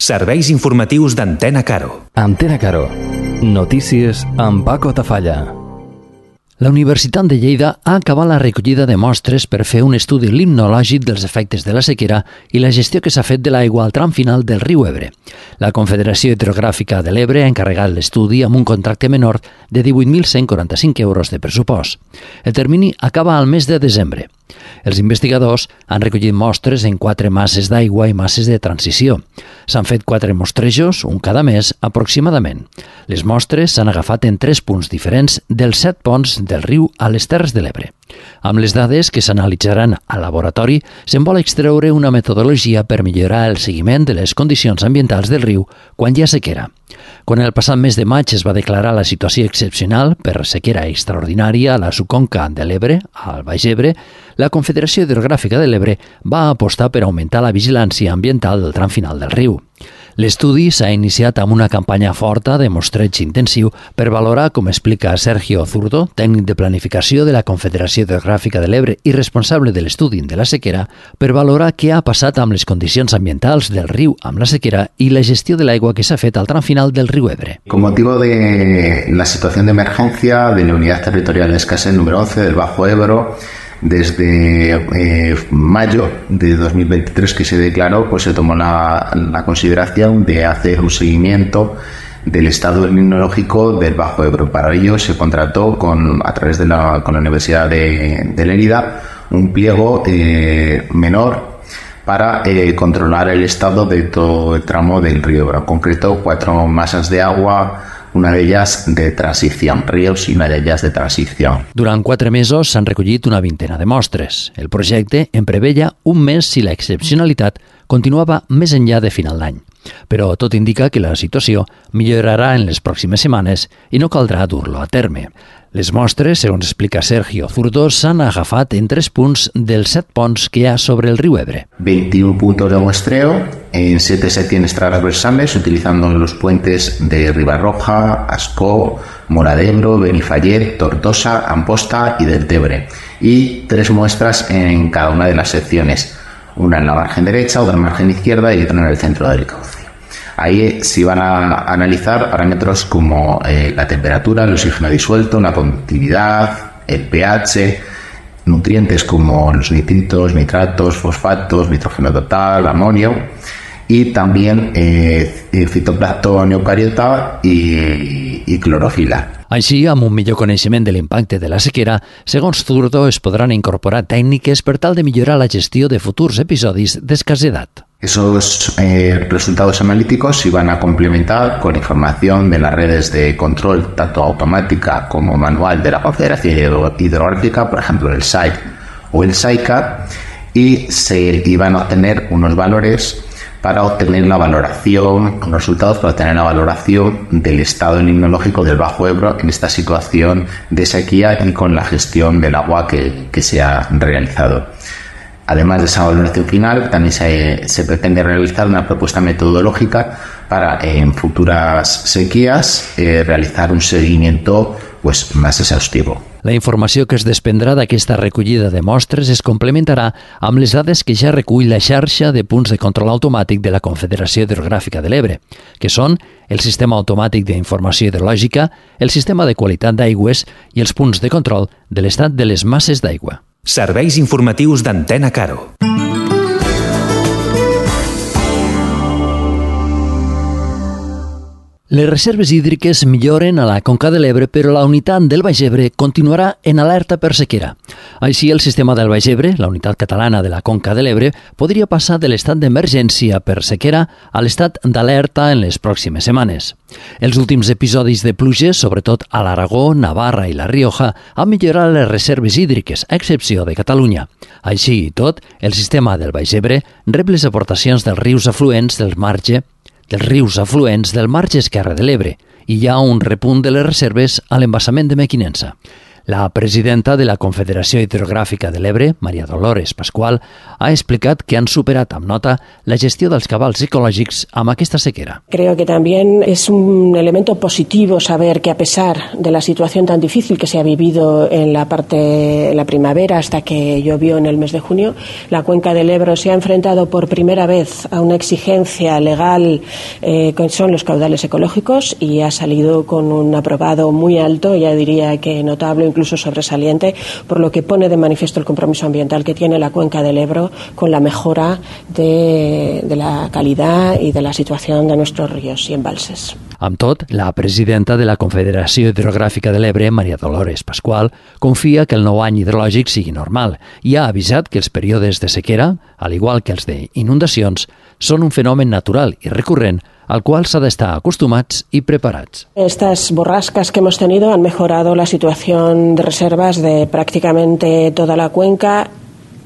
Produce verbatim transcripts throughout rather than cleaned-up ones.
Serveis informatius d'Antena Caro. Antena Caro. Notícies amb Paco Tafalla. La Universitat de Lleida ha acabat la recollida de mostres per fer un estudi limnològic dels efectes de la sequera i la gestió que s'ha fet de l'aigua al tram final del riu Ebre. La Confederació Hidrogràfica de l'Ebre ha encarregat l'estudi amb un contracte menor de divuit mil cent quaranta-cinc euros de pressupost. El termini acaba al mes de desembre. Els investigadors han recollit mostres en quatre masses d'aigua i masses de transició. S'han fet quatre mostrejos, un cada mes, aproximadament. Les mostres s'han agafat en tres punts diferents dels set ponts del riu a les Terres de l'Ebre. Amb les dades que s'analitzaran al laboratori, se'n vol extreure una metodologia per millorar el seguiment de les condicions ambientals del riu quan hi ha sequera. Quan el passat mes de maig es va declarar la situació excepcional per sequera extraordinària a la subconca de l'Ebre, al Baix Ebre, la Confederació Hidrogràfica de l'Ebre va apostar per augmentar la vigilància ambiental del tram final del riu. L'estudi s'ha iniciat amb una campanya forta de mostreig intensiu per valorar, com explica Sergio Zurdo, tècnic de planificació de la Confederació Hidrogràfica de l'Ebre i responsable de l'estudi de la sequera, per valorar què ha passat amb les condicions ambientals del riu amb la sequera i la gestió de l'aigua que s'ha fet al tram final del riu Ebre. Con motivo de la situación de emergencia de la Unidad Territorial de Escasez número once del Bajo Ebro, desde eh, mayo de dos mil veintitrés que se declaró, pues se tomó la, la consideración de hacer un seguimiento del estado limnológico del Bajo Ebro. Para ello se contrató con, a través de la, con la Universidad de, de Lérida un pliego eh, menor para eh, controlar el estado de todo el tramo del río Ebro. En concreto, cuatro masas de agua, una d'elles de transició, rius i una d'elles de transició. Durant quatre mesos s'han recollit una vintena de mostres. El projecte en preveia un mes si la excepcionalitat continuava més enllà de final d'any. Però tot indica que la situació millorarà en les pròximes setmanes i no caldrà dur-lo a terme. Les mostres, segons explica Sergio Zurdo, s'han agafat en tres punts dels set ponts que hi ha sobre el riu Ebre. veintiún puntos de muestreo en siete secciones transversales utilizando los puentes de Ribarroja, Ascó, Mora de Ebro, Benifallet, Tortosa, Amposta y del Tebre. Y tres muestras en cada una de las secciones. Una en la margen derecha, otra en la margen izquierda y otra en el centro del cauce. Ahí se van a analizar parámetros como eh, la temperatura, el oxígeno disuelto, la conductividad, el pH, nutrientes como los nitritos, nitratos, fosfatos, nitrógeno total, amonio y también eh, fitoplancton eucariota y, y clorofila. Així, amb un millor coneixement de l'impacte de la sequera, segons Zurdo, es podran incorporar tècniques per tal de millorar la gestió de futurs episodis d'escassedat. Esos eh, resultados analíticos se van a complementar con información de las redes de control, tanto automática como manual de la Confederación Hidrográfica, por ejemplo el S A I C o el S A I C A, y se iban a obtener unos valores para obtener la valoración, unos resultados para obtener la valoración del estado limnológico del Bajo Ebro en esta situación de sequía y con la gestión del agua que, que se ha realizado. Además de esa valoración final, también se, se pretende realizar una propuesta metodológica para en futuras sequías eh, realizar un seguimiento pues, más exhaustivo. La informació que es desprendrà d'aquesta recollida de mostres es complementarà amb les dades que ja recull la xarxa de punts de control automàtic de la Confederació Hidrogràfica de l'Ebre, que són el Sistema Automàtic d'Informació Hidrològica, el Sistema de Qualitat d'Aigües i els punts de control de l'estat de les masses d'aigua. Serveis informatius d'Antena Caro. Les reserves hídriques milloren a la Conca de l'Ebre, però la unitat del Baix Ebre continuarà en alerta per sequera. Així, el sistema del Baix Ebre, la unitat catalana de la Conca de l'Ebre, podria passar de l'estat d'emergència per sequera a l'estat d'alerta en les pròximes setmanes. Els últims episodis de pluges, sobretot a l'Aragó, Navarra i la Rioja, han millorat les reserves hídriques, a excepció de Catalunya. Així i tot, el sistema del Baix Ebre rep les aportacions dels rius afluents del marge dels rius afluents del marge esquerre de l'Ebre i hi ha un repunt de les reserves a l'embassament de Mequinensa. La presidenta de la Confederació Hidrogràfica de l'Ebre, Maria Dolores Pascual, ha explicat que han superat amb nota la gestió dels cabals ecològics amb aquesta sequera. Creo que también es un elemento positivo saber que a pesar de la situación tan difícil que se ha vivido en la parte en la primavera hasta que llovió en el mes de junio, la cuenca del Ebro se ha enfrentado por primera vez a una exigencia legal eh, que son los caudales ecológicos y ha salido con un aprobado muy alto, ya diría que notable, incluso sobresaliente, por lo que pone de manifiesto el compromiso ambiental que tiene la cuenca del Ebro con la mejora de, de la calidad y de la situación de nuestros ríos y embalses. Amb tot, la presidenta de la Confederació Hidrogràfica de l'Ebre, Maria Dolores Pascual, confia que el nou any hidrològic sigui normal i ha avisat que els períodes de sequera, al igual que els d'inundacions, són un fenomen natural i recurrent al cual s'ha d'estar acostumats y preparados. Estas borrascas que hemos tenido han mejorado la situación de reservas de prácticamente toda la cuenca,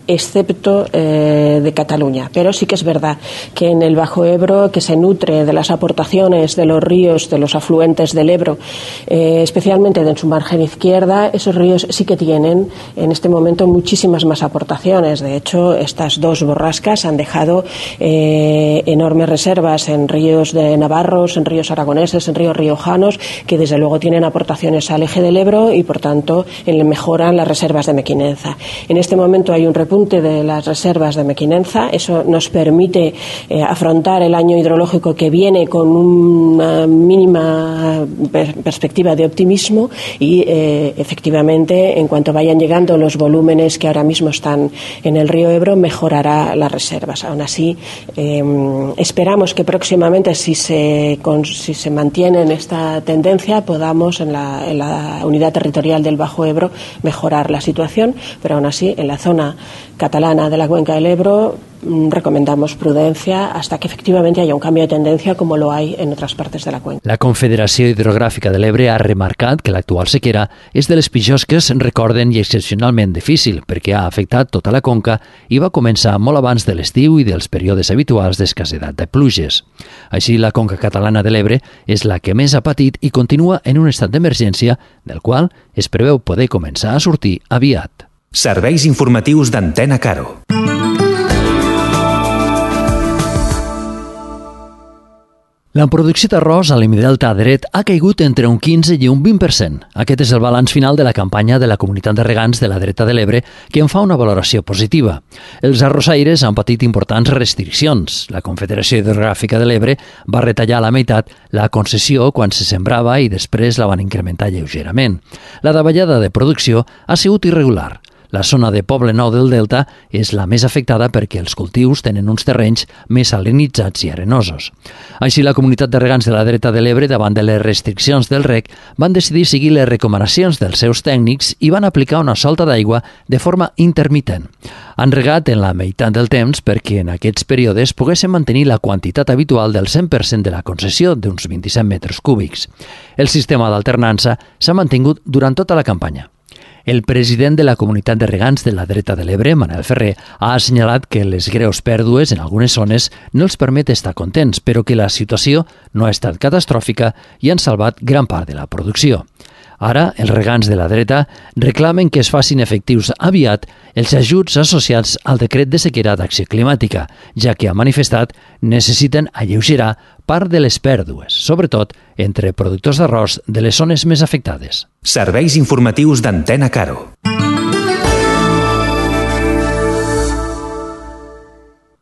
excepto eh, de Cataluña. Pero sí que es verdad que en el Bajo Ebro, que se nutre de las aportaciones de los ríos, de los afluentes del Ebro, eh, especialmente de su margen izquierda, esos ríos sí que tienen en este momento muchísimas más aportaciones. De hecho, estas dos borrascas han dejado eh, enormes reservas en ríos de navarros, en ríos aragoneses, en ríos riojanos, que desde luego tienen aportaciones al eje del Ebro y, por tanto, mejoran las reservas de Mequinenza. En este momento hay un repunte de las reservas de Mequinenza. Eso nos permite eh, afrontar el año hidrológico que viene con una mínima per perspectiva de optimismo y eh, efectivamente, en cuanto vayan llegando los volúmenes que ahora mismo están en el río Ebro, mejorará las reservas. Aún así, eh, esperamos que próximamente, si se, con, si se mantiene en esta tendencia, podamos en la, en la unidad territorial del Bajo Ebro mejorar la situación, pero aún así en la zona catalana de la cuenca del Ebro recomendamos prudencia hasta que efectivamente haya un cambio de tendencia como lo hay en otras partes de la cuenca. La Confederació Hidrogràfica de l'Ebre ha remarcat que l'actual sequera és de les pitjors que es recorden i excepcionalment difícil perquè ha afectat tota la conca i va començar molt abans de l'estiu i dels períodes habituals d'escassedat de pluges. Així, la conca catalana de l'Ebre és la que més ha patit i continua en un estat d'emergència del qual es preveu poder començar a sortir aviat. Serveis informatius d'Antena Caro. La producció d'arròs a l'Hemidelta dret ha caigut entre un quinze i un vint per cent. Aquest és el balanç final de la campanya de la Comunitat de Regants de la Dreta de l'Ebre, que en fa una valoració positiva. Els arrossaires han patit importants restriccions. La Confederació Hidrogràfica de l'Ebre va retallar a la meitat la concessió quan se sembrava i després la van incrementar lleugerament. La davallada de producció ha sigut irregular. La zona de Poble Nou del Delta és la més afectada perquè els cultius tenen uns terrenys més salinitzats i arenosos. Així, la Comunitat de Regants de la Dreta de l'Ebre, davant de les restriccions del reg, van decidir seguir les recomanacions dels seus tècnics i van aplicar una solta d'aigua de forma intermitent. Han regat en la meitat del temps perquè en aquests períodes poguessin mantenir la quantitat habitual del cent per cent de la concessió d'uns vint-i-set metres cúbics. El sistema d'alternança s'ha mantingut durant tota la campanya. El president de la Comunitat de Regants de la Dreta de l'Ebre, Manel Ferrer, ha assenyalat que les greus pèrdues en algunes zones no els permet estar contents, però que la situació no ha estat catastròfica i han salvat gran part de la producció. Ara, els regants de la dreta reclamen que es facin efectius aviat els ajuts associats al decret de sequera d'acció climàtica, ja que ha manifestat necessiten alleugerar part de les pèrdues, sobretot entre productors d'arròs de les zones més afectades. Serveis informatius d'Antena Caro.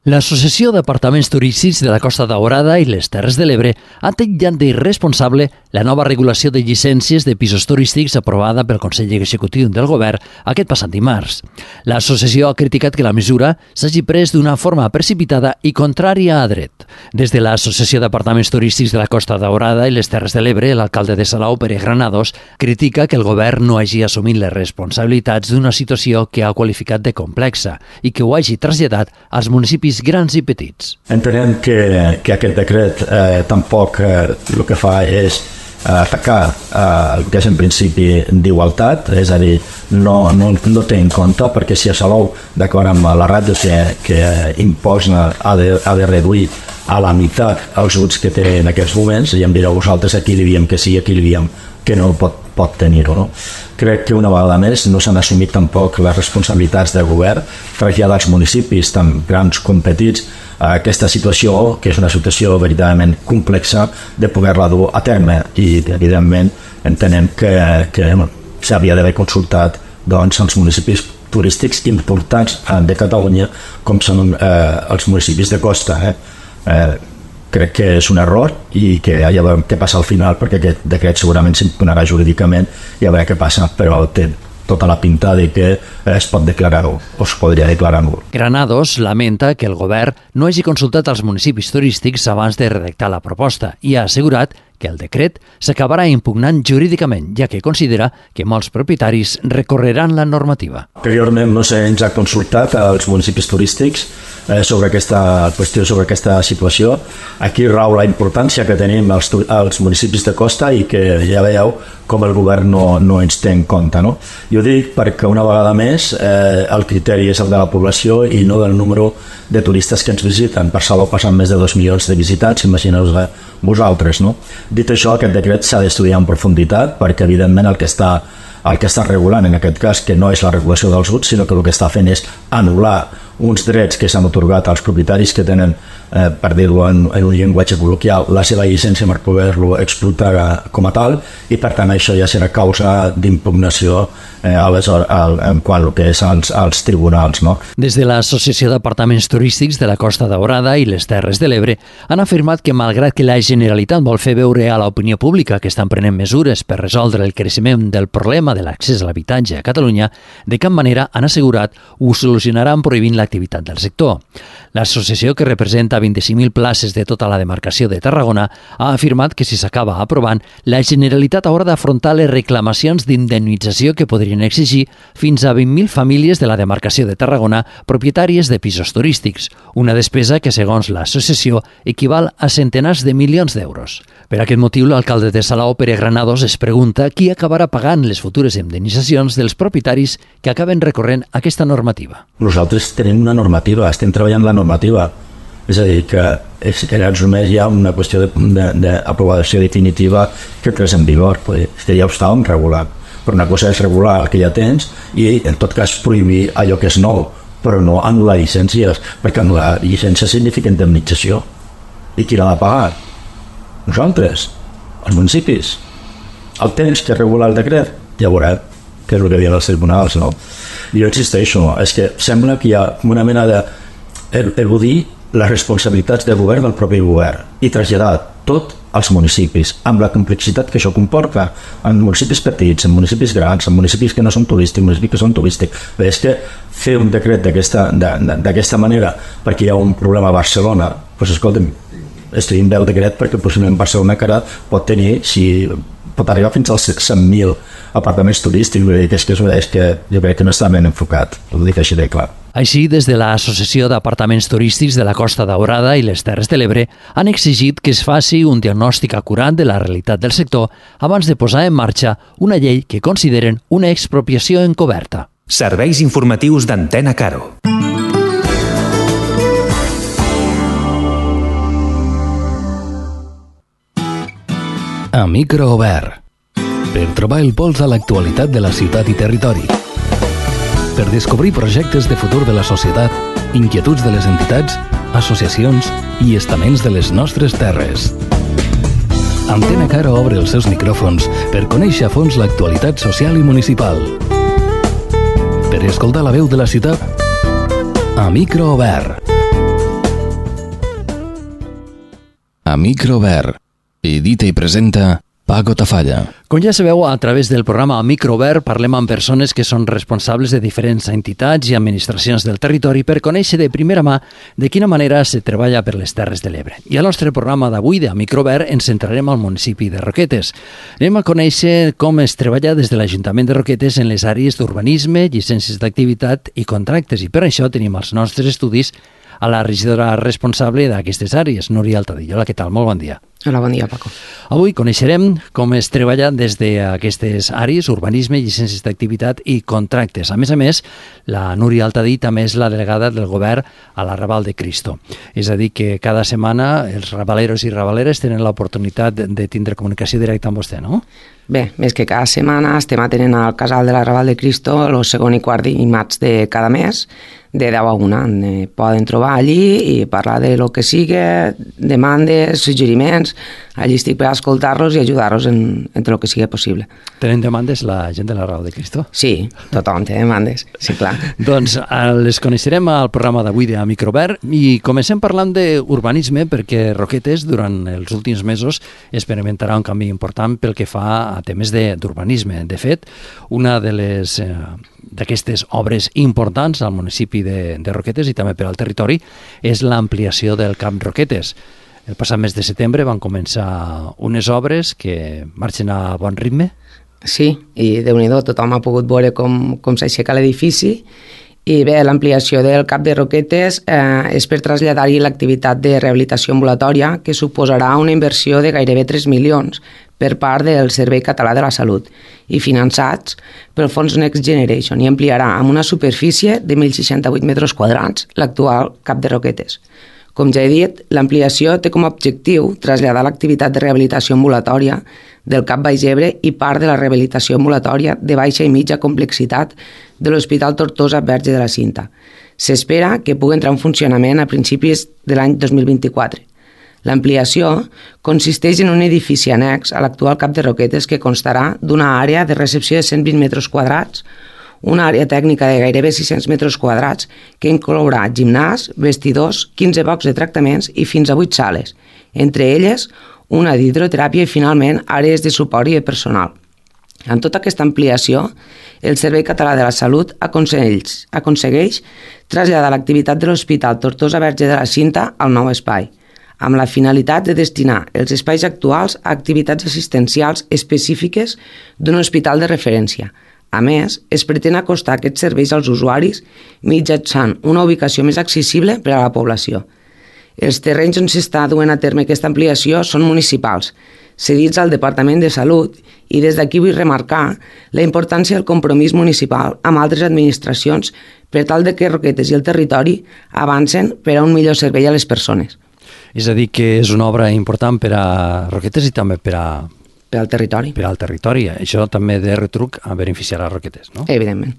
L'Associació d'Apartaments Turístics de la Costa Daurada i les Terres de l'Ebre ha titllat d'irresponsable la nova regulació de llicències de pisos turístics aprovada pel Consell Executiu del Govern aquest passat dimarts. L'associació ha criticat que la mesura s'hagi pres d'una forma precipitada i contrària a dret. Des de l'Associació d'Apartaments Turístics de la Costa Daurada i les Terres de l'Ebre, l'alcalde de Salou, Pere Granados, critica que el Govern no hagi assumit les responsabilitats d'una situació que ha qualificat de complexa i que ho hagi traslladat als municipis grans i petits. Entenem que, que aquest decret eh, tampoc eh, el que fa és eh, atacar eh, el que és en principi d'igualtat, és a dir, no, no, no té en compte, perquè si a Salou, d'acord amb la ràdio que, que imposa, ha de, ha de reduir a la meitat els ajuts que té en aquests moments, i em direu vosaltres a qui li diem que sí, a qui li diem que no pot, pot tenir-ho. No? Crec que una vegada més no s'han assumit tampoc les responsabilitats del govern, traslladar als municipis, tant grans com petits, a aquesta situació, que és una situació veritablement complexa, de poder-la dur a terme, i evidentment entenem que, que s'havia d'haver consultat doncs, els municipis turístics importants de Catalunya, com són eh, els municipis de costa. Eh? Eh, crec que és un error i que ja veurem què passa al final, perquè aquest decret segurament s'impugnarà jurídicament i a veure què passa, però té tota la pinta de que es pot declarar-ho, o es podria declarar-ho. Granados lamenta que el govern no hagi consultat als municipis turístics abans de redactar la proposta i ha assegurat que el decret s'acabarà impugnant jurídicament, ja que considera que molts propietaris recorreran la normativa. Anteriorment no se'ns ha consultat als municipis turístics eh, sobre aquesta qüestió, sobre aquesta situació. Aquí rau la importància que tenim als, als municipis de costa i que ja veieu com el govern no, no ens té en compte. No? Jo dic perquè una vegada més eh, el criteri és el de la població i no del número de turistes que ens visiten. Per Salou passen més de dos milions de visitants, imagineu-vos vosaltres. No? Dit això, aquest decret s'ha d'estudiar en profunditat perquè evidentment el que està el que està regulant en aquest cas, que no és la regulació dels U T S, sinó que el que està fent és anul·lar uns drets que s'han otorgat als propietaris que tenen, eh, per dir-ho en, en un llenguatge col·loquial, la seva llicència per poder-lo explotar com a tal, i per tant això ja serà causa d'impugnació eh, aleshores, al, en quant al que és als, als tribunals. No? Des de l'Associació d'Apartaments Turístics de la Costa Daurada i les Terres de l'Ebre han afirmat que malgrat que la Generalitat vol fer veure a l'opinió pública que estan prenent mesures per resoldre el creixement del problema de l'accés a l'habitatge a Catalunya, de cap manera han assegurat ho solucionaran prohibint l'activitat del sector. L'associació, que representa vint-i-cinc mil places de tota la demarcació de Tarragona, ha afirmat que si s'acaba aprovant, la Generalitat haurà d'afrontar les reclamacions d'indemnització que podrien exigir fins a vint mil famílies de la demarcació de Tarragona propietàries de pisos turístics, una despesa que, segons l'associació, equival a centenars de milions d'euros. Per aquest motiu, l'alcalde de Salou, Pere Granados, es pregunta qui acabarà pagant les futures indemnitzacions dels propietaris que acaben recorrent aquesta normativa. Nosaltres tenim una normativa, estem treballant la normativa. És a dir, que és, en només hi ha una qüestió d'aprovació de, de, definitiva que entrés en vigor. Ja ho estàvem regulant. Però una cosa és regular el que ja tens i, en tot cas, prohibir allò que és nou, però no anul·lar llicències, perquè anul·lar llicència significa indemnització. I qui l'ha de pagar? Nosaltres, els municipis. El temps que regula el decret, ja veurem què és el que diuen els tribunals, no? Jo insisteixo, és que sembla que hi ha una mena de eludir les responsabilitats del govern del propi govern i traslladar tot als municipis, amb la complexitat que això comporta en municipis petits, en municipis grans, en municipis que no són turístics, municipis que són turístics. Bé, és que fer un decret d'aquesta manera perquè hi ha un problema a Barcelona, doncs escolta'm, estudiem bé el decret perquè possiblement Barcelona encara pot tenir, si pot arribar fins als cent mil apartaments turístics, que és que, és que jo crec que no està ben enfocat, ho dic així de clar. Així, des de l'Associació d'Apartaments Turístics de la Costa Daurada i les Terres de l'Ebre han exigit que es faci un diagnòstic acurat de la realitat del sector abans de posar en marxa una llei que consideren una expropiació encoberta. Serveis informatius d'Antena Caro. A micro obert, per trobar el pols a l'actualitat de la ciutat i territori, per descobrir projectes de futur de la societat, inquietuds de les entitats, associacions i estaments de les nostres terres. Antena Caro obre els seus micròfons per conèixer a fons l'actualitat social i municipal. Per escoltar la veu de la ciutat, a micro obert. A micro obert. Edita i presenta Paco Tafalla. Com ja sabeu, a través del programa Microobert parlem amb persones que són responsables de diferents entitats i administracions del territori per conèixer de primera mà de quina manera se treballa per les Terres de l'Ebre. I al nostre programa d'avui de Microobert ens centrarem al municipi de Roquetes. Anem a conèixer com es treballa des de l'Ajuntament de Roquetes en les àrees d'urbanisme, llicències d'activitat i contractes. I per això tenim els nostres estudis a la regidora responsable d'aquestes àrees, Núria Altadillo. Hola, què tal? Molt bon dia. Hola, bon dia, Paco. Avui coneixerem com es treballa des d'aquestes àrees, urbanisme, llicències d'activitat i contractes. A més a més, la Núria Altadillo també és la delegada del govern a la Raval de Cristo. És a dir, que cada setmana els rabaleros i rabaleres tenen l'oportunitat de tindre comunicació directa amb vostè, no? Bé, més que cada setmana estem atenent al casal de la Raval de Cristo el segon i quart dimarts de cada mes, de deu a una. Eh, poden trobar allí i parlar de lo que sigui, demandes, suggeriments. Allí estic per escoltar-los i ajudar-los en, en tot el que sigui possible. Tenen demandes la gent de la Raval de Cristo? Sí, tothom té demandes, sí, clar. Doncs les coneixerem al programa d'avui de Microobert i comencem parlant d'urbanisme perquè Roquetes durant els últims mesos experimentarà un canvi important pel que fa a temes d'urbanisme. De fet, una de les eh, d'aquestes obres importants al municipi de, de Roquetes i també per al territori és l'ampliació del Camp Roquetes. El passat mes de setembre van començar unes obres que marxen a bon ritme. Sí, i Déu-n'hi-do, tothom ha pogut veure com, com s'aixeca l'edifici. I bé, l'ampliació del Camp de Roquetes eh, és per traslladar-hi l'activitat de rehabilitació ambulatòria, que suposarà una inversió de gairebé tres milions per part del Servei Català de la Salut i finançats pel Fons Next Generation, i ampliarà amb una superfície de mil seixanta-vuit metres quadrats l'actual Camp de Roquetes. Com ja he dit, l'ampliació té com a objectiu traslladar l'activitat de rehabilitació ambulatòria del Camp Baix Ebre i part de la rehabilitació ambulatòria de baixa i mitja complexitat de l'Hospital Tortosa Verge de la Cinta. S'espera que pugui entrar en funcionament a principis de l'any dos mil vint-i-quatre. L'ampliació consisteix en un edifici annex a l'actual Camp de Roquetes que constarà d'una àrea de recepció de cent vint metres quadrats, una àrea tècnica de gairebé sis-cents metres quadrats que inclourà gimnàs, vestidors, quinze blocs de tractaments i fins a vuit sales, entre elles una d'hidroteràpia i finalment àrees de suport i de personal. En tota aquesta ampliació, el Servei Català de la Salut aconsegueix, aconsegueix traslladar l'activitat de l'Hospital Tortosa Verge de la Cinta al nou espai, amb la finalitat de destinar els espais actuals a activitats assistencials específiques d'un hospital de referència. A més, es pretén acostar aquests serveis als usuaris mitjançant una ubicació més accessible per a la població. Els terrenys on s'està duent a terme aquesta ampliació són municipals, cedits al Departament de Salut, i des d'aquí vull remarcar la importància del compromís municipal amb altres administracions per tal de que Roquetes i el territori avancen per a un millor servei a les persones. És a dir, que és una obra important per a Roquetes i també per a... Per al territori. Per al territori. Això també de retruc a beneficiar a Roquetes, no? Evidentment.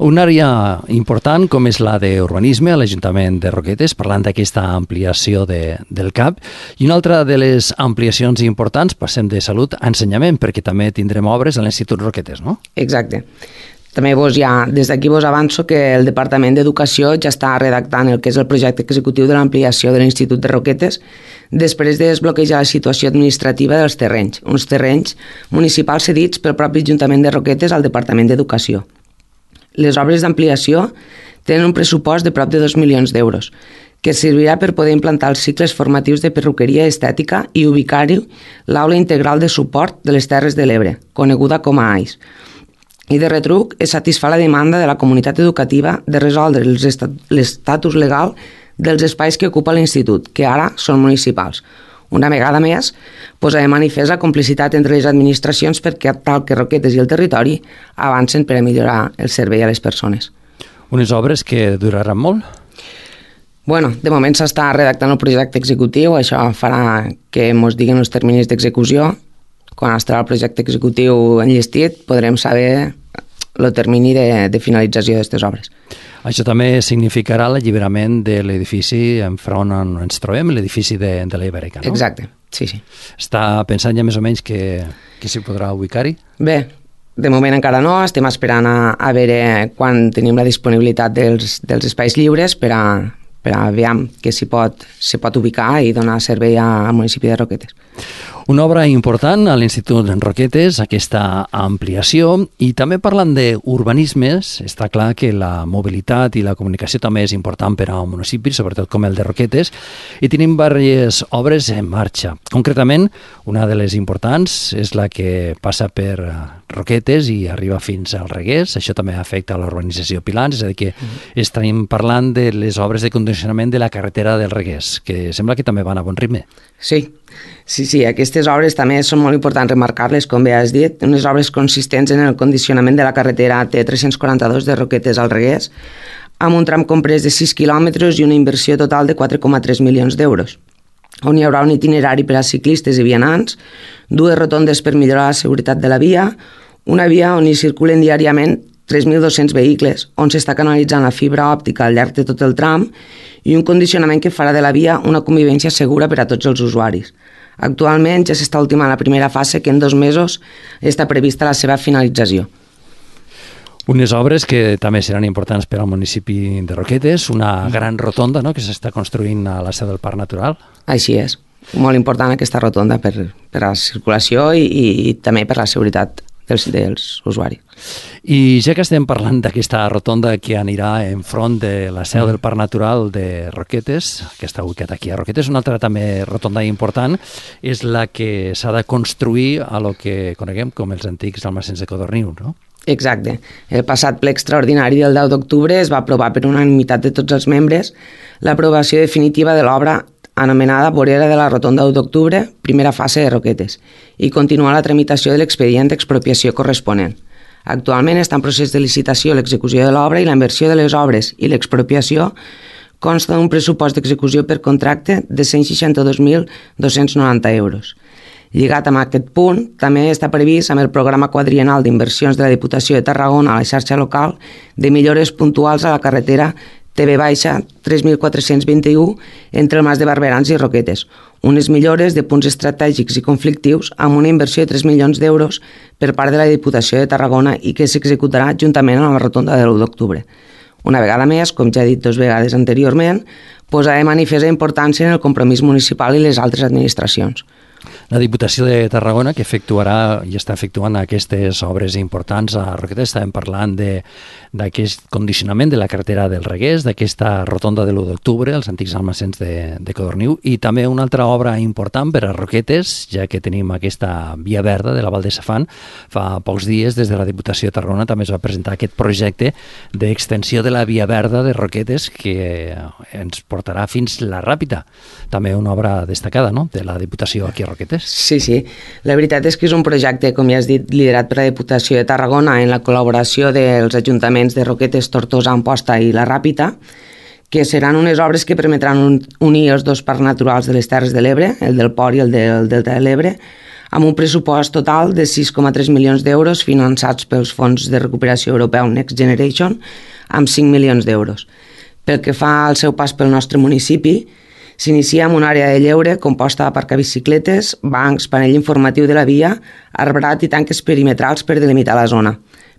Una àrea important com és la d'urbanisme a l'Ajuntament de Roquetes, parlant d'aquesta ampliació de, del C A P, i una altra de les ampliacions importants, passem de salut a ensenyament, perquè també tindrem obres a l'Institut Roquetes, no? Exacte. També vos ja, des d'aquí vos avanço que el Departament d'Educació ja està redactant el que és el projecte executiu de l'ampliació de l'Institut de Roquetes després de desbloquejar la situació administrativa dels terrenys, uns terrenys municipals cedits pel propi Ajuntament de Roquetes al Departament d'Educació. Les obres d'ampliació tenen un pressupost de prop de dos milions d'euros, que servirà per poder implantar els cicles formatius de perruqueria estètica i ubicar-hi l'aula integral de suport de les Terres de l'Ebre, coneguda com a A I S. I de retruc es satisfà la demanda de la comunitat educativa de resoldre l'estatus legal dels espais que ocupa l'Institut, que ara són municipals. Una vegada més, posa de manifest la complicitat entre les administracions perquè tal que Roquetes i el territori avancen per a millorar el servei a les persones. Unes obres que duraran molt? Bueno, de moment s'està redactant el projecte executiu, això farà que ens diguin els terminis d'execució. Quan estarà el projecte executiu enllestit podrem saber el termini de, de finalització d'aquestes obres. Això també significarà l'alliberament de l'edifici enfront on ens trobem, l'edifici de, de la Ibèrica, no? Exacte, sí, sí. Està pensant ja més o menys que, que s'hi podrà ubicar-hi? Bé, de moment encara no, estem esperant a, a veure quan tenim la disponibilitat dels, dels espais lliures per a, per a veure que s'hi pot, s'hi pot ubicar i donar servei al municipi de Roquetes. Una obra important a l'Institut Roquetes, aquesta ampliació, i també parlant d'urbanismes, està clar que la mobilitat i la comunicació també és important per a un municipi, sobretot com el de Roquetes, i tenim diverses obres en marxa. Concretament, una de les importants és la que passa per Roquetes i arriba fins al Reguers. Això també afecta a l'urbanització Pilans, és a dir, que mm. estem parlant de les obres de condicionament de la carretera del Reguers, que sembla que també van a bon ritme. Sí, sí, sí, aquestes obres també són molt importants remarcar-les, com bé has dit, unes obres consistents en el condicionament de la carretera T tres-cents quaranta-dos de Roquetes al Reguers, amb un tram comprès de sis quilòmetres i una inversió total de quatre coma tres milions d'euros. on hi haurà un itinerari per a ciclistes i vianants, dues rotondes per millorar la seguretat de la via, una via on hi circulen diàriament tres mil dos-cents vehicles, on s'està canalitzant la fibra òptica al llarg de tot el tram i un condicionament que farà de la via una convivència segura per a tots els usuaris. Actualment ja s'està ultimant la primera fase, que en dos mesos està prevista la seva finalització. Unes obres que també seran importants per al municipi de Roquetes, una gran rotonda, no?, que s'està construint a la seu del Parc Natural. Així és, molt important aquesta rotonda per, per a la circulació i, i, i també per la seguretat dels, dels usuaris. I ja que estem parlant d'aquesta rotonda que anirà enfront de la seu del Parc Natural de Roquetes, que està ubicat aquí a Roquetes, una altra també rotonda important és la que s'ha de construir a lo que coneguem com els antics almacens de Codorniu, no? Exacte. El passat ple extraordinari del deu d'octubre es va aprovar per unanimitat de tots els membres l'aprovació definitiva de l'obra anomenada Vorera de la Rotonda u d'octubre, primera fase de Roquetes, i continuar la tramitació de l'expedient d'expropiació corresponent. Actualment està en procés de licitació l'execució de l'obra i la inversió de les obres i l'expropiació consta d'un pressupost d'execució per contracte de cent seixanta-dos mil dos-cents noranta euros. Lligat amb aquest punt, també està previst amb el programa quadriennal d'inversions de la Diputació de Tarragona a la xarxa local de millores puntuals a la carretera T V tres mil quatre-cents vint-i-u entre el Mas de Barberans i Roquetes, unes millores de punts estratègics i conflictius amb una inversió de tres milions d'euros per part de la Diputació de Tarragona i que s'executarà juntament amb la rotonda de l'u d'octubre. Una vegada més, com ja he dit dues vegades anteriorment, posa de manifest la importància en el compromís municipal i les altres administracions. La Diputació de Tarragona, que efectuarà i està efectuant aquestes obres importants a Roquetes, estàvem parlant d'aquest condicionament de la carretera del Reguers, d'aquesta rotonda de l'u d'octubre, els antics almacens de, de Codorniu, i també una altra obra important per a Roquetes, ja que tenim aquesta via verda de la Val de Safant. Fa pocs dies, des de la Diputació de Tarragona, també es va presentar aquest projecte d'extensió de la via verda de Roquetes que ens portarà fins la Ràpita. També una obra destacada, no?, de la Diputació aquí a Roquetes. Sí, sí. La veritat és que és un projecte, com ja has dit, liderat per la Diputació de Tarragona en la col·laboració dels ajuntaments de Roquetes, Tortosa, Amposta i la Ràpita, que seran unes obres que permetran unir els dos parcs naturals de les Terres de l'Ebre, el del Port i el del Delta de l'Ebre, amb un pressupost total de sis coma tres milions d'euros finançats pels fons de recuperació europeu Next Generation amb cinc milions d'euros. Pel que fa al seu pas pel nostre municipi, s'inicia amb una àrea de lleure composta d'aparcar bicicletes, bancs, panell informatiu de la via, arbrat i tanques perimetrals per delimitar la zona.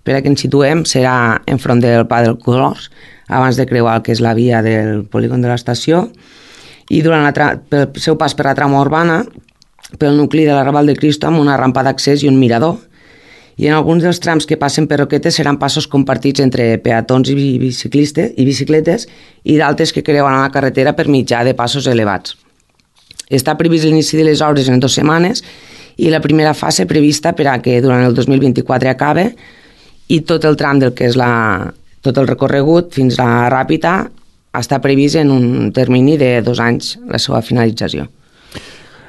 Per a que ens situem serà enfront del Pla del Colors, abans de creuar el que és la via del polígon de l'estació, i durant la tra- pel seu pas per la trama urbana, pel nucli de la Raval de Cristo amb una rampa d'accés i un mirador, i en alguns dels trams que passen per Roquetes seran passos compartits entre peatons i biciclistes i bicicletes i d'altres que creuen la carretera per mitjà de passos elevats. Està previst l'inici de les obres en dues setmanes i la primera fase prevista per a que durant el dos mil vint-i-quatre acabe i tot el tram del que és la, tot el recorregut fins a la Ràpita està previst en un termini de dos anys la seva finalització.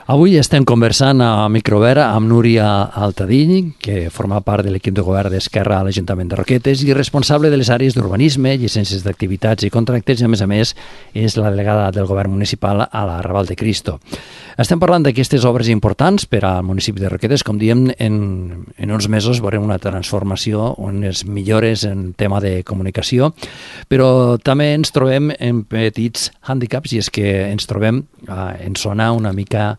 Avui estem conversant a Microvera amb Núria Altadill, que forma part de l'equip de govern d'Esquerra a l'Ajuntament de Roquetes i responsable de les àrees d'urbanisme, llicències d'activitats i contractes i, a més a més, és la delegada del govern municipal a la Raval de Cristo. Estem parlant d'aquestes obres importants per al municipi de Roquetes. Com diem, en, en uns mesos veurem una transformació, unes millores en tema de comunicació, però també ens trobem en petits hàndicaps i és que ens trobem eh, en zona una mica,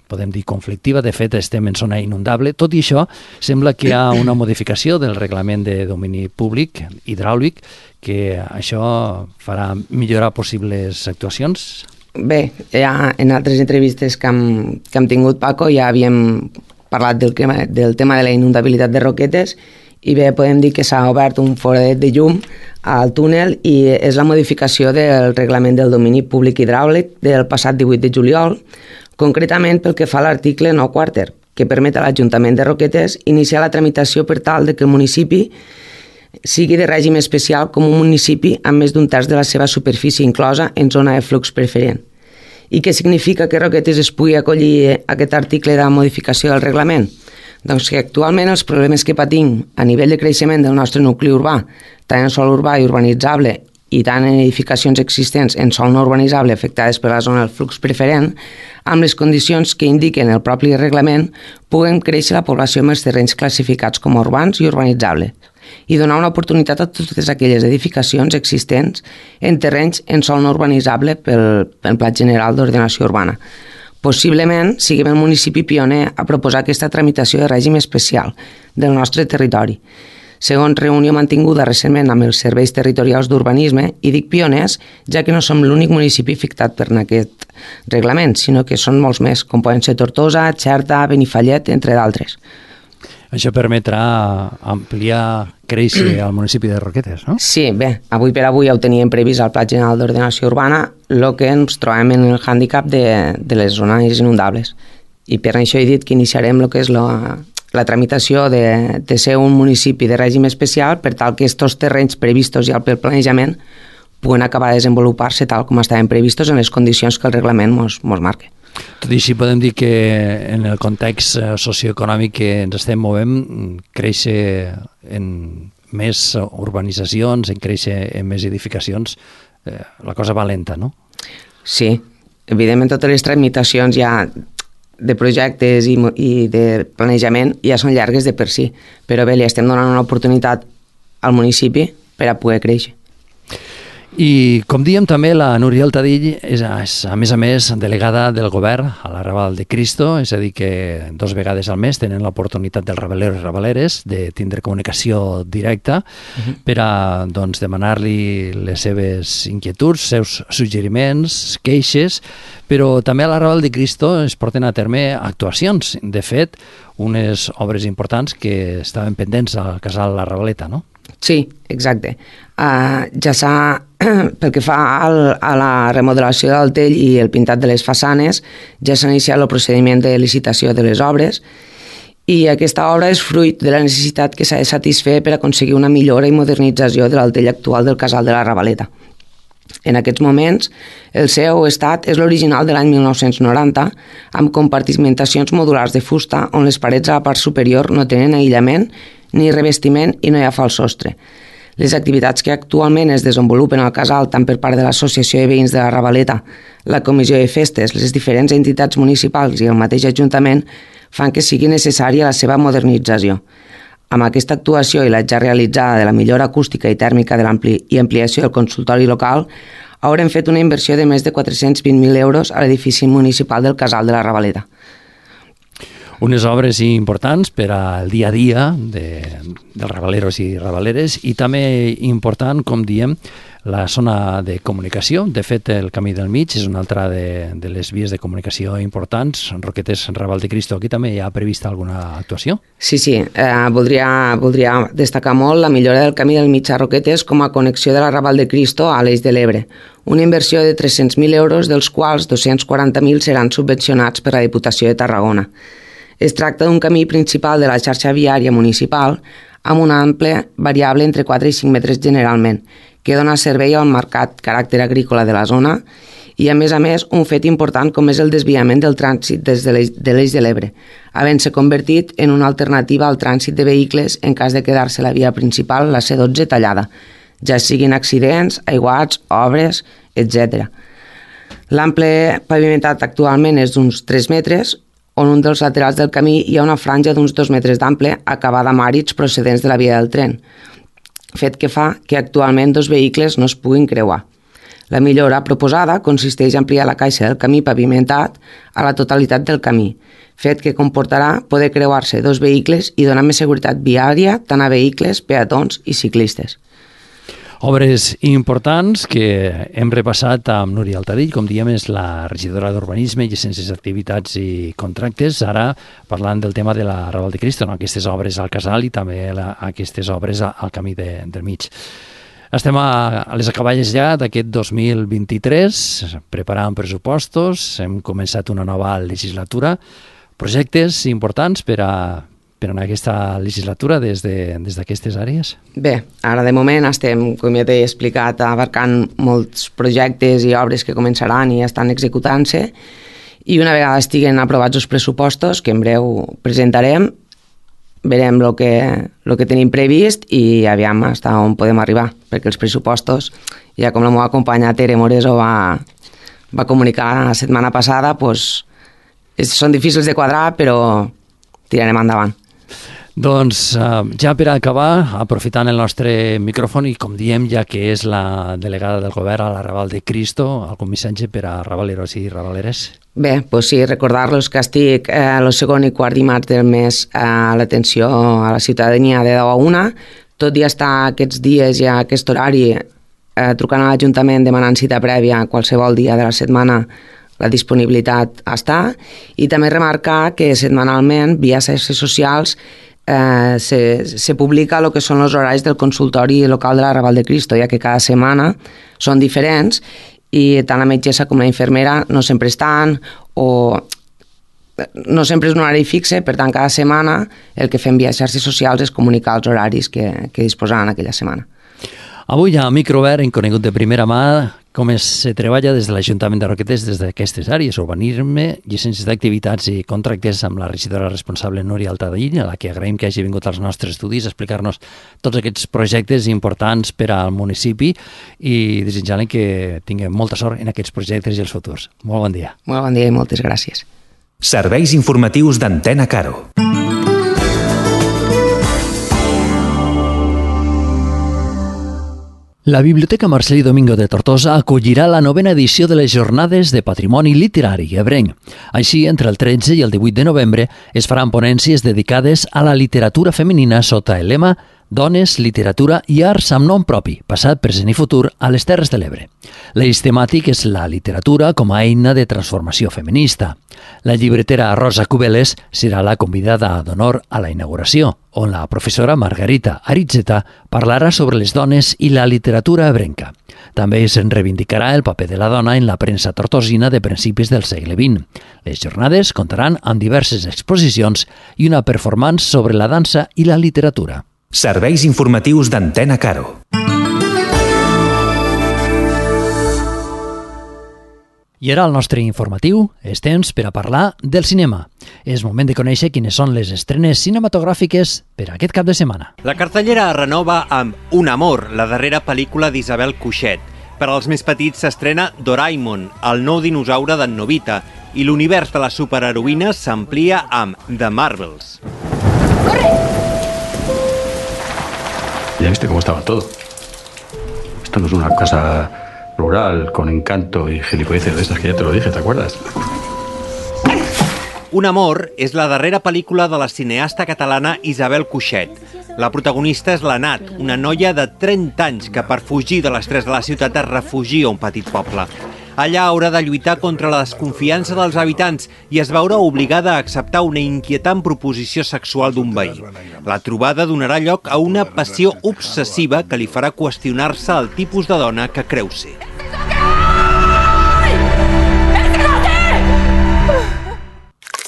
podem dir, conflictiva. De fet, estem en zona inundable. Tot i això, sembla que hi ha una modificació del reglament de domini públic hidràulic, que això farà millorar possibles actuacions. Bé, ja en altres entrevistes que hem, que hem tingut, Paco, ja havíem parlat del, del tema de la inundabilitat de Roquetes i bé, podem dir que s'ha obert un foradet de llum al túnel i és la modificació del reglament del domini públic hidràulic del passat divuit de juliol, concretament pel que fa a l'article nou quarter, que permet a l'Ajuntament de Roquetes iniciar la tramitació per tal de que el municipi sigui de règim especial com un municipi amb més d'un terç de la seva superfície inclosa en zona de flux preferent. I què significa que Roquetes es pugui acollir aquest article de modificació del reglament? Doncs que actualment els problemes que patim a nivell de creixement del nostre nucli urbà, tant en sòl urbà i urbanitzable i tant en edificacions existents en sòl no urbanitzable afectades per la zona del flux preferent, amb les condicions que indiquen el propi reglament, puguen créixer la població amb els terrenys classificats com a urbans i urbanitzables i donar una oportunitat a totes aquelles edificacions existents en terrenys en sòl no urbanitzable pel, pel Pla General d'Ordenació Urbana. Possiblement siguem el municipi pioner a proposar aquesta tramitació de règim especial del nostre territori. Segons reunió mantinguda recentment amb els serveis territorials d'urbanisme, i dic pioners, ja que no som l'únic municipi afectat per aquest reglament, sinó que són molts més, com poden ser Tortosa, Xerta, Benifallet, entre d'altres. Això permetrà ampliar, créixer al municipi de Roquetes, no? Sí, bé, avui per avui ja ho teníem previst al Pla General d'Ordenació Urbana, el que ens trobem en el hàndicap de, de les zones inundables. I per això he dit que iniciarem el que és la, la tramitació de, de ser un municipi de règim especial per tal que aquests terrenys previstos ja pel planejament puguen acabar de desenvolupar-se tal com estaven previstos en les condicions que el reglament mos, mos marca. Tot i així podem dir que en el context socioeconòmic que ens estem movent, créixer en més urbanitzacions, en créixer en més edificacions, eh, la cosa va lenta, no? Sí, evidentment totes les tramitacions ja de projectes i, i de planejament ja són llargues de per si, però bé, li estem donant una oportunitat al municipi per a poder créixer. I, com diem també, la Núria Altadill és, és, a més a més, delegada del govern a la Raval de Cristo, és a dir, que dos vegades al mes tenen l'oportunitat dels rabalers i rabaleres de tindre comunicació directa uh-huh. per a doncs, demanar-li les seves inquietuds, seus suggeriments, queixes, però també a la Raval de Cristo es porten a terme actuacions. De fet, unes obres importants que estaven pendents al casal La Ravaleta, no? Sí, exacte. Uh, ja s'ha, pel que fa al, a la remodelació del tell i el pintat de les façanes, ja s'ha iniciat el procediment de licitació de les obres i aquesta obra és fruit de la necessitat que s'ha de satisfer per aconseguir una millora i modernització de l'altell actual del casal de la Ravaleta. En aquests moments, el seu estat és l'original de l'any mil nou-cents noranta, amb compartimentacions modulars de fusta on les parets a la part superior no tenen aïllament ni revestiment i no hi ha fals sostre. Les activitats que actualment es desenvolupen al casal tant per part de l'Associació de Veïns de la Ravaleta, la Comissió de Festes, les diferents entitats municipals i el mateix Ajuntament fan que sigui necessària la seva modernització. Amb aquesta actuació i la ja realitzada de la millora acústica i tèrmica de l'ampli i ampliació del consultori local, haurem fet una inversió de més de quatre-cents vint mil euros a l'edifici municipal del casal de la Ravaleta. Unes obres importants per al dia a dia de, dels rabaleros i rabaleres i també important, com diem, la zona de comunicació. De fet, el Camí del Mig és una altra de, de les vies de comunicació importants. Roquetes, Raval de Cristo, aquí també hi ha prevista alguna actuació? Sí, sí. Eh, voldria, voldria destacar molt la millora del Camí del Mig a Roquetes com a connexió de la Raval de Cristo a l'Eix de l'Ebre. Una inversió de tres-cents mil euros, dels quals dos-cents quaranta mil seran subvencionats per la Diputació de Tarragona. Es tracta d'un camí principal de la xarxa viària municipal amb una àmplia variable entre quatre i cinc metres generalment, que dona servei al marcat caràcter agrícola de la zona i, a més a més, un fet important com és el desviament del trànsit des de l'Eix de l'Ebre, havent-se convertit en una alternativa al trànsit de vehicles en cas de quedar-se la via principal, la C dotze, tallada, ja siguin accidents, aiguats, obres, etcètera. L'ample pavimentat actualment és d'uns tres metres, on un dels laterals del camí hi ha una franja d'uns dos metres d'ample acabada amb àrids procedents de la via del tren, fet que fa que actualment dos vehicles no es puguin creuar. La millora proposada consisteix a ampliar la caixa del camí pavimentat a la totalitat del camí, fet que comportarà poder creuar-se dos vehicles i donar més seguretat viària tant a vehicles, peatons i ciclistes. Obres importants que hem repassat amb Núria Altadill, com diem, és la regidora d'Urbanisme, Llicències, Activitats i Contractes, ara parlant del tema de la Raval de Cristo, no? Aquestes obres al casal i també la, aquestes obres al camí de, del mig. Estem a, a les acaballes ja d'aquest dos mil vint-i-tres, preparant pressupostos, hem començat una nova legislatura, projectes importants per a per en aquesta legislatura des de, des d'aquestes àrees? Bé, ara de moment estem, com ja t'he explicat, abarcant molts projectes i obres que començaran i estan executant-se i una vegada estiguen aprovats els pressupostos, que en breu presentarem, verem el que, el que tenim previst i aviam hasta on podem arribar, perquè els pressupostos, ja com la meva companya Tere Moreso va, va comunicar la setmana passada, pues, són difícils de quadrar, però tirarem endavant. Doncs uh, ja per acabar, aprofitant el nostre micròfon i com diem, ja que és la delegada del govern a la Raval de Cristo, algun missatge per a ravaleros i ravaleres? Bé, doncs sí, recordar-los que estic eh, el segon i quart dimarts del mes a l'atenció a la ciutadania de deu a una, tot i estar aquests dies i a aquest horari eh, trucant a l'Ajuntament demanant cita prèvia qualsevol dia de la setmana, la disponibilitat està, i també remarcar que setmanalment via xarxes socials Eh, se, se publica el que són els horaris del consultori local de la Raval de Cristo, ja que cada setmana són diferents i tant la metgessa com la infermera no sempre estan o no sempre és un horari fixe, per tant cada setmana el que fem via xarxes socials és comunicar els horaris que, que disposaran aquella setmana. Avui a Microobert hem conegut de primera mà com es se treballa des de l'Ajuntament de Roquetes des d'aquestes àrees, urbanisme, llicències d'activitats i contractes amb la regidora responsable Núria Altadell, a la que agraïm que hagi vingut als nostres estudis a explicar-nos tots aquests projectes importants per al municipi i desitjant que tinguem molta sort en aquests projectes i els futurs. Molt bon dia. Molt bon dia i moltes gràcies. Serveis informatius d'Antena Caro. La Biblioteca Marcel·lí Domingo de Tortosa acollirà la novena edició de les Jornades de Patrimoni Literari ebrenc. Així, entre el tretze i el divuit de novembre es faran ponències dedicades a la literatura femenina sota el lema Dones, literatura i arts amb nom propi, passat, present i futur a les Terres de l'Ebre. L'eix temàtic és la literatura com a eina de transformació feminista. La llibretera Rosa Cubeles serà la convidada d'honor a la inauguració, on la professora Margarita Aritzeta parlarà sobre les dones i la literatura ebrenca. També es reivindicarà el paper de la dona en la premsa tortosina de principis del segle vint. Les jornades comptaran amb diverses exposicions i una performance sobre la dansa i la literatura. Serveis informatius d'Antena Caro. I ara el nostre informatiu és temps per a parlar del cinema. És moment de conèixer quines són les estrenes cinematogràfiques per a aquest cap de setmana. La cartellera es renova amb Un amor, la darrera pel·lícula d'Isabel Cuixet. Per als més petits s'estrena Doraemon, el nou dinosaure d'en Novita, i l'univers de les superheroïnes s'amplia amb The Marvels. ¡Corre! Ya viste cómo estaba todo. Esto no es una casa rural con encanto y gilipolleces de estas que ya te lo dije, ¿te acuerdas? Un amor és la darrera pel·lícula de la cineasta catalana Isabel Cuixet. La protagonista és la Nat, una noia de trenta anys que per fugir de l'estrès de la ciutat es refugia a un petit poble. Allà haurà de lluitar contra la desconfiança dels habitants i es veurà obligada a acceptar una inquietant proposició sexual d'un veí. La trobada donarà lloc a una passió obsessiva que li farà qüestionar-se el tipus de dona que creu ser.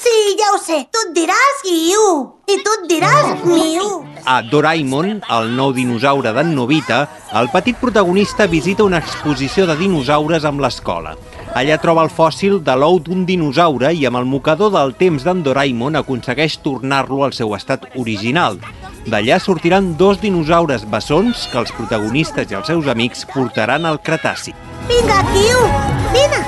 Sí, ja ho sé. Tu et diràs Guiu i tu et diràs Miu. A Doraemon, el nou dinosaure d'en Novita, el petit protagonista visita una exposició de dinosaures amb l'escola. Allà troba el fòssil de l'ou d'un dinosaure i amb el mocador del temps d'en Doraemon aconsegueix tornar-lo al seu estat original. D'allà sortiran dos dinosaures bessons que els protagonistes i els seus amics portaran al Cretaci. Vinga, Guiu, vine.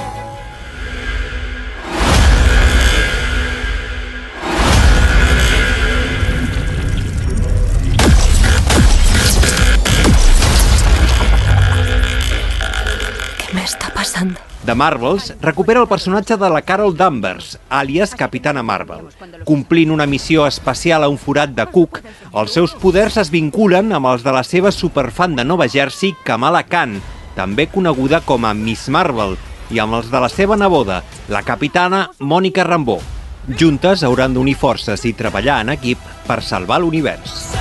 The Marvels recupera el personatge de la Carol Danvers, àlies Capitana Marvel. Complint una missió especial a un forat de Cook, els seus poders es vinculen amb els de la seva superfan de Nova Jersey, Kamala Khan, també coneguda com a Miss Marvel, i amb els de la seva neboda, la capitana Mònica Rambeau. Juntes hauran d'unir forces i treballar en equip per salvar l'univers.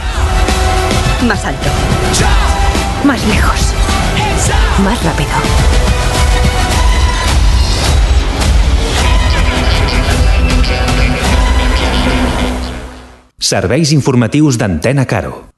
Más alto. Más lejos. Más rápido. Serveis informatius d'Antena Caro.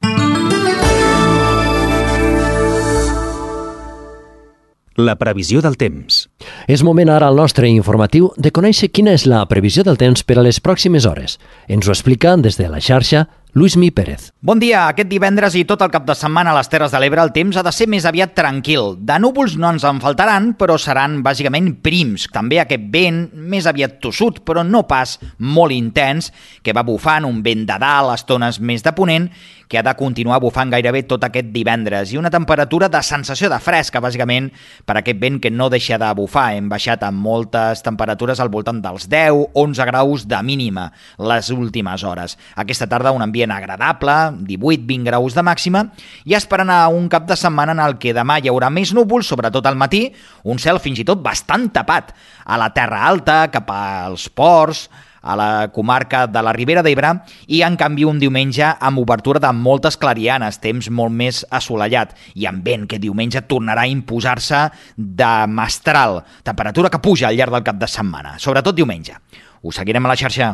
La previsió del temps. És moment ara al nostre informatiu de conèixer quina és la previsió del temps per a les pròximes hores. Ens ho explica des de la xarxa Lluís Mi Pérez. Bon dia. Aquest divendres i tot el cap de setmana a les Terres de l'Ebre el temps ha de ser més aviat tranquil. De núvols no ens en faltaran, però seran bàsicament prims. També aquest vent més aviat tossut, però no pas molt intens, que va bufant un vent de dalt, estones més de ponent, que ha de continuar bufant gairebé tot aquest divendres. I una temperatura de sensació de fresca, bàsicament, per aquest vent que no deixa de bufar. Hem baixat amb moltes temperatures al voltant dels deu a onze graus de mínima les últimes hores. Aquesta tarda un ambient agradable, divuit a vint graus de màxima, i esperant a un cap de setmana en el que demà hi haurà més núvols, sobretot al matí, un cel fins i tot bastant tapat. A la Terra Alta, cap als ports, a la comarca de la Ribera d'Ebre, i en canvi un diumenge amb obertura de moltes clarianes, temps molt més assolellat, i amb vent que diumenge tornarà a imposar-se de mestral, temperatura que puja al llarg del cap de setmana, sobretot diumenge. Us seguirem a la xarxa.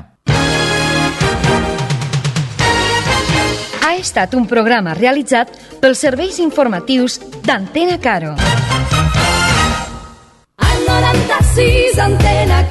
Ha estat un programa realitzat pels serveis informatius d'Antena Caro. Al noranta-sis Antena